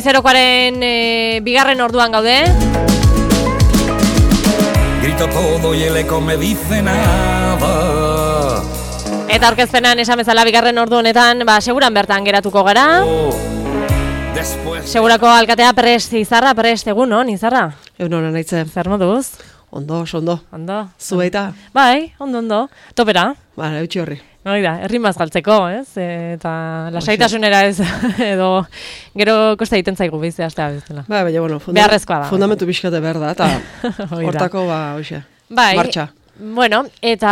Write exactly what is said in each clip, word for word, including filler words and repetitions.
Goizerokoaren e, bigarren orduan gaude. Grito todo y el eco me dice nada. Eta aurkezpenan esan bezala bigarren ordu honetan, ba, seguran bertan geratuko gara. Después... Segurako alkatea prest, Izarra prest, egun, no, Izarra? Egun hona nahitzen. Zer moduz? Ondo, ondo. Ondo. Zu baita? Bai, ondo, ondo. Topera. Ba, eutxi horri. Hori da, errimaz galtzeko, ez? Eta lasaitasunera ez, edo gero kosta egiten zaigu bizia astea bezala. Bai, baina, bueno, funda beharrezkoa da. Fundamentu pixkate behar da, eta hortako, ba, hoxe, bai. martxa. Bueno, eta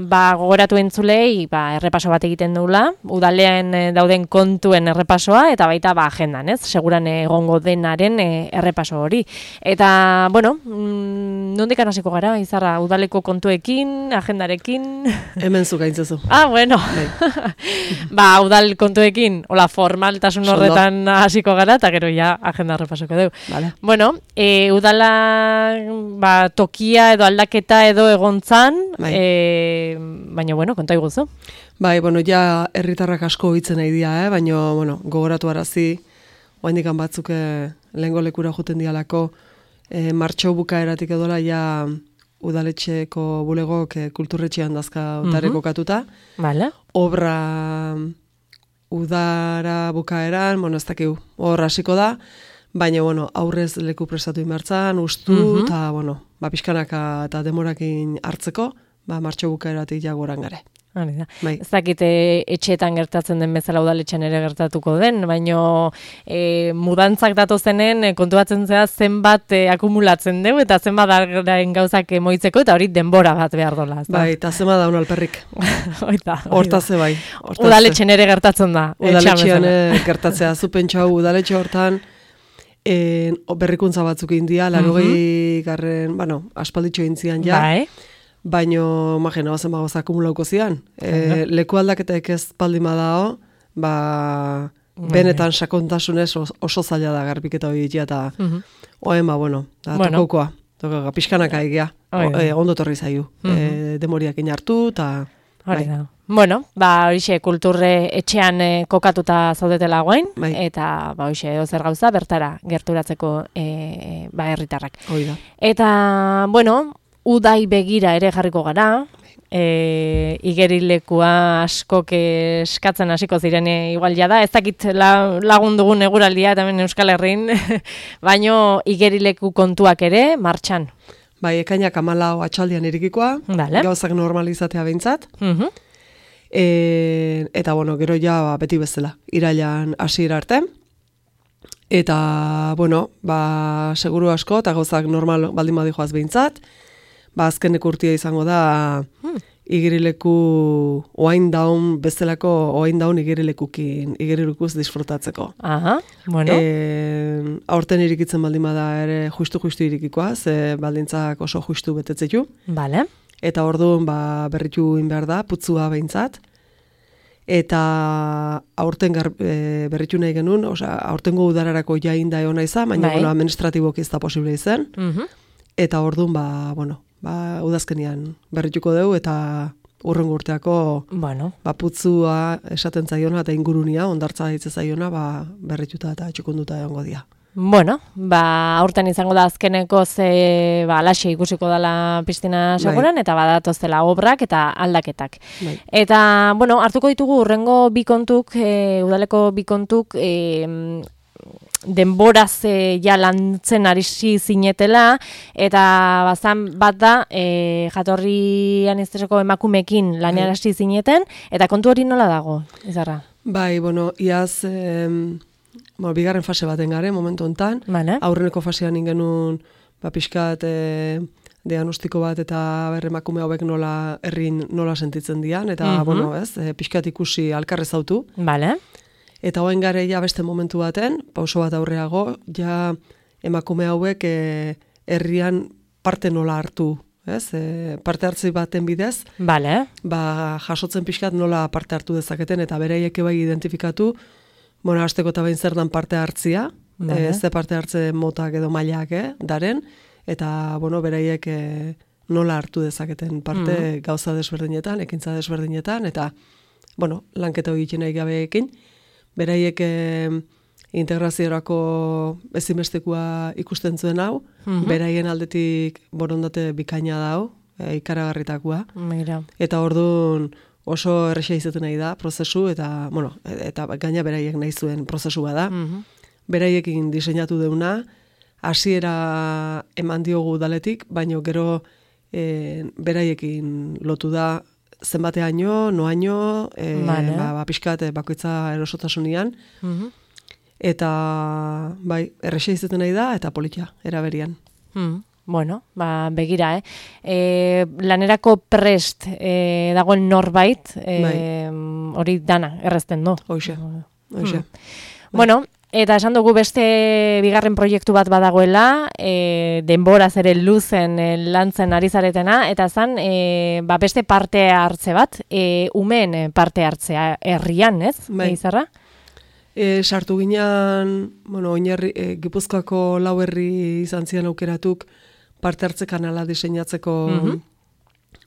ba, gogoratu entzulei ba, errepaso bat egiten dugula, udalean e, dauden kontuen errepasoa, eta baita ba, agendan, ez? Seguran egongo denaren e, errepaso hori. Eta, bueno, mm, nondik hasiko gara, Izarra, udaleko kontuekin, agendarekin? Hemen zu gaintzezu. Ah, bueno. Ba, udal kontuekin, hola, formaltasun horretan hasiko gara, eta gero ja agenda errepasoko dugu. Vale. Bueno, e, udala ba, tokia edo aldaketa edo egontzan, bai. e, baina, bueno, konta iguzu. Bai, bueno, ja herritarrak asko hitzen nahi dira, eh? Baina, bueno, gogoratu arazi, oaindikan batzuk eh, lehengo lekura juten dialako, eh, martxo bukaeratik edola ja udaletxeko bulegok eh, kulturretxean dazka otare Mhm. kokatuta. Vale. Obra udara bukaeran, bueno, ez dakigu, hor hasiko da, baina, bueno, aurrez leku prestatu inbertzan, ustu, Mhm. eta, bueno, ba, pixkanaka eta demorakin hartzeko, ba, martxo bukaeratik jagoran gare. Hori da. Bai. Ez dakite etxeetan gertatzen den bezala udaletxean ere gertatuko den, baino e, mudantzak datozenen e, kontuatzen zea zenbat e, akumulatzen dugu eta zenbat argaren gauzak moitzeko eta hori denbora bat behar dola. ezta? Bai, eta zema daun alperrik. Oita, Hortaze bai. hortaze. udaletxen ere gertatzen da. etxean Udaletxean bezala. eh, gertatzea, zu pentsau udaletxe hortan, eh, berrikuntza batzuk india, larogei garren, bueno, aspalditxo intzian ja, Bai. baino, imagina, bazen bagoz akumulauko zian. E, leku aldaketek ez baldin badao, ba, benetan sakontasunez oso, oso zaila da garbiketa hori ditia, eta Mhm. oen, ba, bueno, da, Bueno. tokaukoa, tokaukoa, pixkanaka egia, Hori da. e, ondo torri zaiu, e, demoriak inartu, eta... Hori da. Bueno, ba, horixe, kulturre etxean e, kokatuta zaudetela guain, Bai. eta, ba, horixe, edo zer gauza, bertara gerturatzeko, e, ba, herritarrak. Hoi da. Eta, bueno, udai begira ere jarriko gara, e, igerilekua askok eskatzen hasiko ziren e, igual jada, ez dakit la, lagun dugun eguraldia, eta hemen Euskal Herrin, baino igerileku kontuak ere martxan. Bai, ekainak amalau atxaldian irikikoa, Vale. gauzak normalizatea behintzat, Mhm. e, eta, bueno, gero ja ba, beti bezala, irailan hasiera arte, eta, bueno, ba, seguru asko, eta gauzak normal baldin badijoaz behintzat, ba, azkeneko urtia izango da, Hmm. igerileku oain daun bezalako oain daun igerilekukin, igerilekuz disfrutatzeko. Aha, bueno. E, aurten irikitzen baldin bada ere justu-justu irikikoa, ze baldintzak oso justu betetzetu. Vale. Eta orduan ba, berritu in behar da, putzua behintzat. Eta aurten gar, e, berritu nahi genuen, osea, aurtengo udararako jain da egon izan, baina Bai. bueno, administratiboki ez da posible izan. Mhm. Eta orduan, ba, bueno, ba, udazkenian berrituko dugu, eta urrengo urteako Bueno. ba, putzua esaten zaiona eta ingurunia, ondartza hitze zaiona, ba, berrituta eta txukunduta egongo dira. Bueno, ba, aurten izango da azkeneko ze, ba, alaxe ikusiko dela piztina seguran, eta badatozela obrak eta aldaketak. Bai. Eta, bueno, hartuko ditugu urrengo bi kontuk, e, udaleko bi kontuk, e, denboraz e, ja lantzen arisi zinetela, eta bazan bat da, e, jatorrian izteseko emakumekin lanean hasi zineten, eta kontu hori nola dago, Izarra? Bai, bueno, iaz, em, bueno, bigarren fase baten gare, momentu hontan, Vale. aurreneko fasean ingenun, ba, pixkat, e, diagnostiko bat eta berremakume hauek nola herrin nola sentitzen dian, eta, Mhm. bueno, ez, e, pixkat ikusi alkarrez autu. Vale. Eta hoen gare ja beste momentu baten, pauso bat aurreago, ja emakume hauek e, herrian parte nola hartu, ez? E, parte hartzi baten bidez, Vale. ba, jasotzen pixkat nola parte hartu dezaketen, eta beraiek bai identifikatu, bueno, hasteko eta behin zer dan parte hartzia, Vale. e, ze parte hartze motak edo mailak, eh, daren, eta, bueno, beraiek e, nola hartu dezaketen parte gauza desberdinetan, ekintza desberdinetan, eta, bueno, lanketa egiten nahi gabeekin, beraiek e, integraziorako ezinbestekoa ikusten zuen hau, Mhm. beraien aldetik borondate bikaina da hau, e, ikaragarritakoa. Mira. Eta orduan oso erresa izaten nahi da prozesu, eta, bueno, eta gaina beraiek nahi zuen prozesua da. Mhm. Beraiekin diseinatu deuna, hasiera eman diogu udaletik, baino gero e, beraiekin lotu da zenbateaino, noaino, e, Vale. ba, ba, pixkat e, bakoitza erosotasunean, Mhm. eta bai, erresa izaten nahi da, eta politia, eraberian. Mhm. Bueno, ba, begira, eh? E, lanerako prest e, dagoen norbait, e, hori dana, errezten, no? Hoxe, hoxe. Bueno, eta esan dugu beste bigarren proiektu bat badagoela, e, denboraz ere luzen e, lantzen ari zaretena, eta zan, e, ba, beste parte hartze bat, e, umeen parte hartzea herrian, ez? Bai. Izarra? E, sartu ginean, bueno, oinarri, e, Gipuzkoako lau herri izan zian aukeratuk parte hartze kanala diseinatzeko Mhm.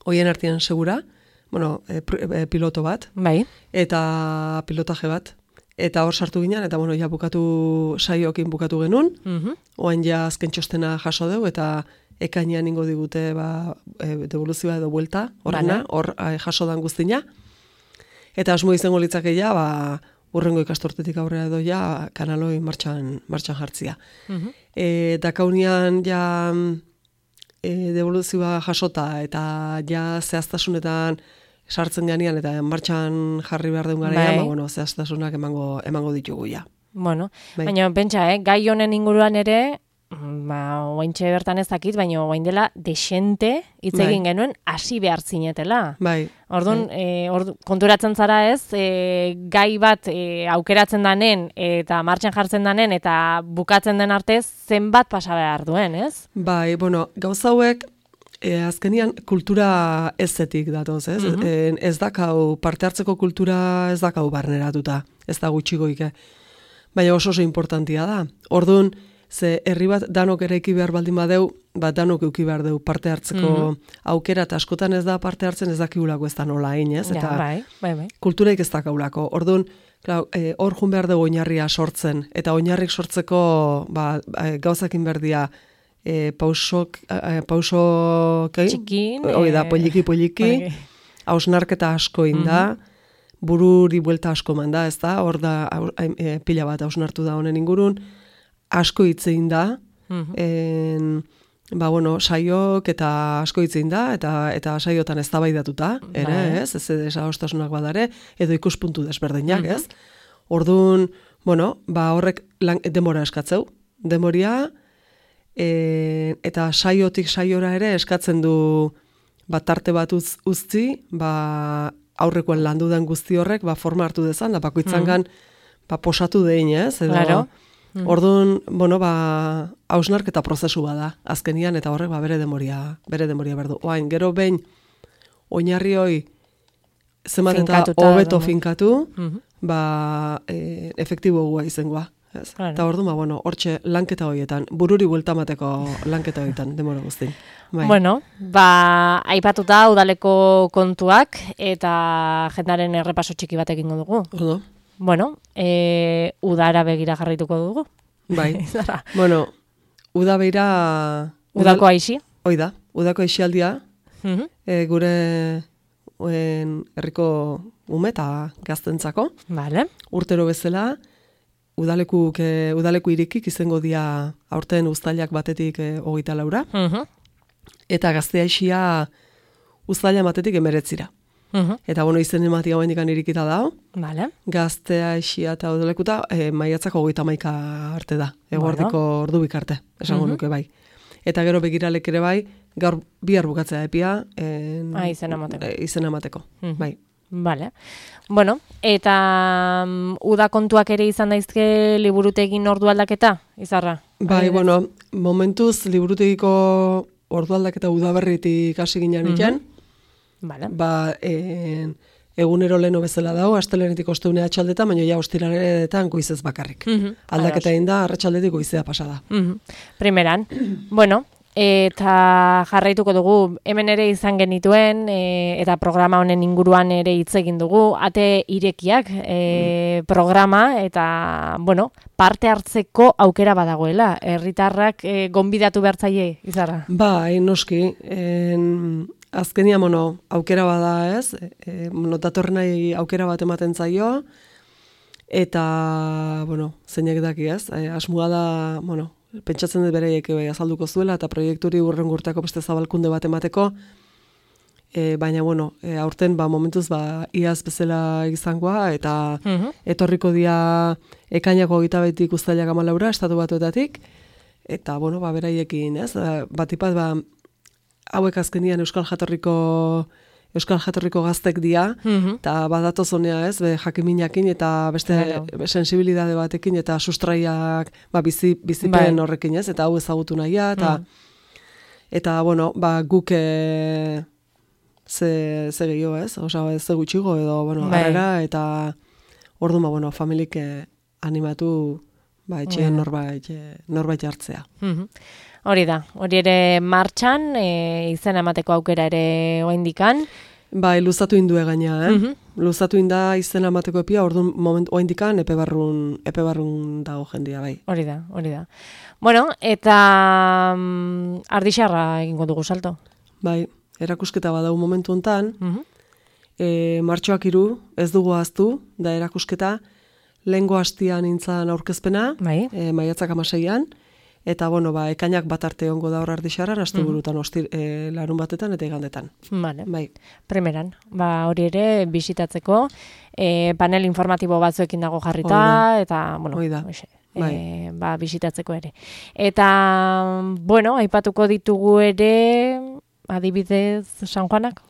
hoien artean segura, bueno, e, pr- e, piloto bat, Bai. eta pilotaje bat. Eta hor sartu ginen, eta bueno, ja bukatu saiokin bukatu genuen, Mhm. oain ja azken txostena jaso dugu, eta ekainean ingo digute ba, e, devoluzioa edo buelta, horrena, Vale. hor e, jaso dan guztina. Eta asmo izango litzake ja, ba, urrengo ikastortetik aurrera edo ja, kanaloi martxan, martxan jartzia. Mhm. E, Dakaunian ja e, devoluzioa jasota, eta ja zehaztasunetan sartzen ganean, eta martxan jarri behar duen garaian, Bai. ba, bueno, zehaztasunak emango, emango ditugu ja. Bueno, Bai. baina pentsa, eh, gai honen inguruan ere, mm, ba, oaintxe bertan ez dakit, baina oain dela desente hitz Bai. egin genuen hasi behar zinetela. Bai, Orduan, e, ordu, konturatzen zara ez, e, gai bat e, aukeratzen danen eta martxan jartzen danen eta bukatzen den arte zenbat pasa behar duen, ez? bai, bueno, gauza hauek, e, azkenian kultura ezetik datoz, ez? Mhm. E, ez dakau, parte hartzeko kultura ez dakau barneratuta, ez da gutxigoike. Baina oso oso importantia da. Orduan, ze herri bat danok eraiki behar baldin badeu, bat danok euki behar deu parte hartzeko aukera, eta askotan ez da parte hartzen ez dakigulako ez da nola egin, ez? Eta Ja, bai, bai, bai. kulturaik ez dakaulako. Orduan, klar, e, hor jun behar dugu oinarria sortzen, eta oinarrik sortzeko ba, e, gauzakin berdia e, pausok, e, pauso, kai? Txikin, Hoi da, eh, poliki, poliki, bai. hausnarketa asko inda, bururi buelta asko manda, ez da, hor da hau- e, pila bat hausnartu da honen ingurun, asko hitzein da, Mhm. en, ba, bueno, saiok eta asko hitzein da, eta eta saiotan eztabaidatuta ere, Bai. ez, ez desagostasunak badare, edo ikuspuntu desberdinak, ez? Orduan, bueno, ba, horrek lan, denbora eskatzeu, denboria, e, eta saiotik saiora ere eskatzen du ba, tarte bat uz, uzti, ba, aurrekoan landu den guzti horrek, ba, forma hartu dezan, da bakoitzangan, ba, posatu dein, ez? Edo, Claro. Orduan, bueno, ba, hausnarketa prozesu bada, azkenian, eta horrek, ba, bere demoria, bere demoria berdu. Oain, gero behin, oinarri hoi, zenbat eta Finkatuta hobeto edo, no? finkatu, Mhm. ba, e, efektibo gua izangoa. Ez? Claro. Eta orduan, ba, bueno, hortxe lanketa horietan, bururi bueltamateko lanketa horietan, demora guztin. Bai. Bueno, ba, aipatuta udaleko kontuak eta jendaren errepaso txiki bat egingo dugu. Ondo, Bueno, e, udara begira jarrituko dugu. bai. Zara, Bueno, uda beira... Udako aixi. Hoi da, udako esialdia, Mhm. e, gure en, herriko ume eta gaztentzako. Vale. Urtero bezala, udalekuk, e, udaleku irikik izango dia aurten uztailak batetik e, hogeita laura, Mhm. eta gaztea isia uztaila batetik emeretzira. Mhm. Eta bueno, izen ematia hoendik irikita da, Vale. gaztea isia eta udalekuta e, maiatzako hogeita maika arte da, eguerdiko Bueno. ordu bikarte, esango Mhm. nuke bai. Eta gero begiralek ere bai, gaur bihar bukatzea epia, en, Ah, izena emateko. e, izena emateko, Mhm. bai. Vale. Bueno, eta um, uda kontuak ere izan daizke liburutegin ordu aldaketa, Izarra? Bai, Adibidez. bueno, momentuz liburutegiko ordu aldaketa udaberritik hasi ginen iken, Vale. ba, en, egunero leno bezala dago, astelenetik osteunea atxaldeta, baina ja ostiraretan goizez bakarrik. Mhm. Aldaketa egin da, arratsaldetik goizea pasada. Mhm. Primeran. Bueno, eta jarraituko dugu, hemen ere izan genituen, e, eta programa honen inguruan ere hitz egin dugu, ate irekiak e, programa, eta, bueno, parte hartzeko aukera badagoela, herritarrak e, gonbidatu behartzaile, Izarra? Ba, noski, en, azkenia, bueno, aukera bada ez, e, bueno, datorren nahi aukera bat ematen zaio, eta, bueno, zeinek daki ez, e, asmoa da, bueno, pentsatzen dut bereiek azalduko zuela, eta proiekturi urrengo urteko beste zabalkunde bat emateko, e, baina, bueno, e, aurten, ba, momentuz, ba, iaz bezala izangoa, eta uh-huh. etorriko dia ekainako gita betik uztailak amalaura, estatu batuetatik, eta, bueno, ba, beraiekin, ez, batipat, ba, hauek azkenian Euskal Jatorriko Euskal Jatorriko gaztek dia, eta uh-huh. badatoz honea ez, be, jakiminakin eta beste claro. sensibilidade batekin eta sustraiak ba, bizi, bizipen bai. Horrekin ez, eta hau ezagutu nahia, eta, uh-huh. eta bueno, ba, guk e, ze, ze gehiago ez, oza, ze gutxigo edo, bueno, bai. Arrera, eta orduan, ba, bueno, familik e, animatu, ba, etxe norbait, norbait hartzea. Uh-huh. Hori da, hori ere martxan, e, izena emateko aukera ere oaindikan. Bai, luzatu indue gaina, eh? Uh-huh. Luzatu inda izena emateko epia, orduan moment oaindikan epe barrun, epe barrun dago jendia, bai. Hori da, hori da. Bueno, eta um, ardixarra egingo dugu salto. Bai, erakusketa badau momentu hontan, uh-huh. e, martxoak hiru ez dugu ahaztu, da erakusketa, lehengo hastian nintzan aurkezpena, bai. e, maiatzak amaseian, eta, bueno, ba, ekainak bat arte ongo da hor ardixarran, aste burutan ostir, e, larun batetan eta igandetan. Vale. Bai. Primeran, ba, hori ere bisitatzeko, e, panel informatibo batzuekin dago jarrita, eta, bueno, oixe, bai. e, ba, bisitatzeko ere. Eta, bueno, aipatuko ditugu ere, adibidez, San Juanak?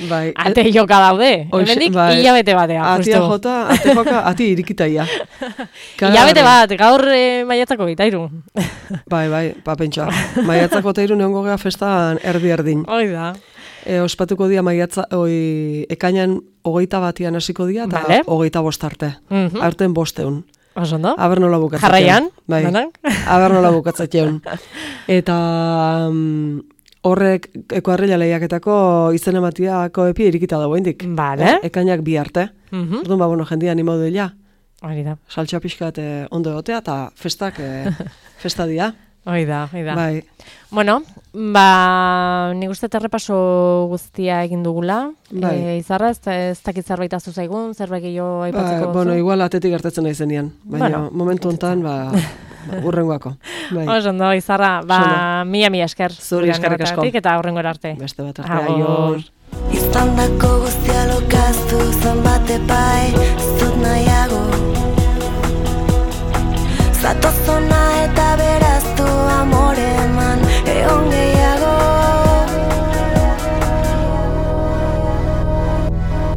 Bai. Ate joka daude, hemendik bai. Hilabete batea. Atia jota, ate joka, ati irikitaia. Hilabete bat, gaur e, maiatzako gitairu. Bai, bai, pa pentsa. Maiatzako gitairu neongo gea festan erdi-erdin. Hoi da. E, ospatuko dia maiatza, oi, ekainan hogeita batian hasiko dia, eta vale. Hogeita bostarte. Uh-huh. Aurten bosteun. Osondo? Aber nola bukatzatzen. Jarraian? Bai, aber nola bukatzatzen. Eta um, horrek ekoarrila lehiaketako izen ematiako epi irikita dago indik. Vale. E, ekainak bi arte. Uh-huh. Orduan, ba, bueno, jendia animau dela. Hori da. Saltxa pixkat eh, ondo egotea, eta festak eh, festa dia. Hoi da, hoi da. Bai. Bueno, ba, nik uste errepaso guztia egin dugula. Bai. E, Izarra, ez, ez dakit zerbait azu zaigun, zerbait gehiago aipatzeko. Ba, bueno, igual atetik gertatzen nahi zenian. Baina bueno, momentu hontan, ba, ba, urrengoako. Bai. Osondo, Izarra, ba, mila mila esker. Zuri eskerrik asko. Eta horrengora arte. Beste bat arte, aior. Iztandako guztia lokaztu zenbat epai, zut nahiago. Zatozona eta beraztu amore eman, egon gehiago.